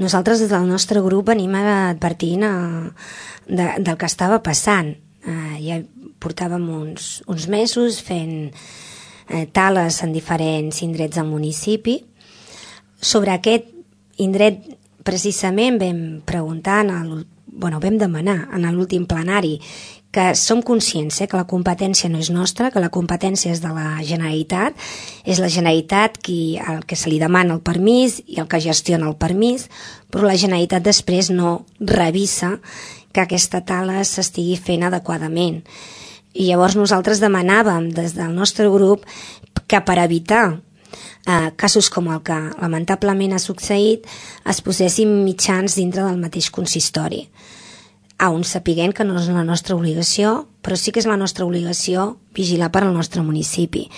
Nosaltres des del nostre grup venim advertint del que estava passant. Ja portàvem uns mesos fent tales en diferents indrets del municipi. Sobre aquest indret precisament vam preguntar, vam demanar en l'últim plenari que som conscients que la competència no és nostra, que la competència és de la Generalitat, és la Generalitat el que se li demana el permís i el que gestiona el permís, però la Generalitat després no revisa que aquesta tala s'estigui fent adequadament. I llavors nosaltres demanàvem des del nostre grup que per evitar casos com el que lamentablement ha succeït es posessin mitjans dintre del mateix consistori, on sapiguem que no és la nostra obligació, però sí que és la nostra obligació vigilar per al nostre municipi.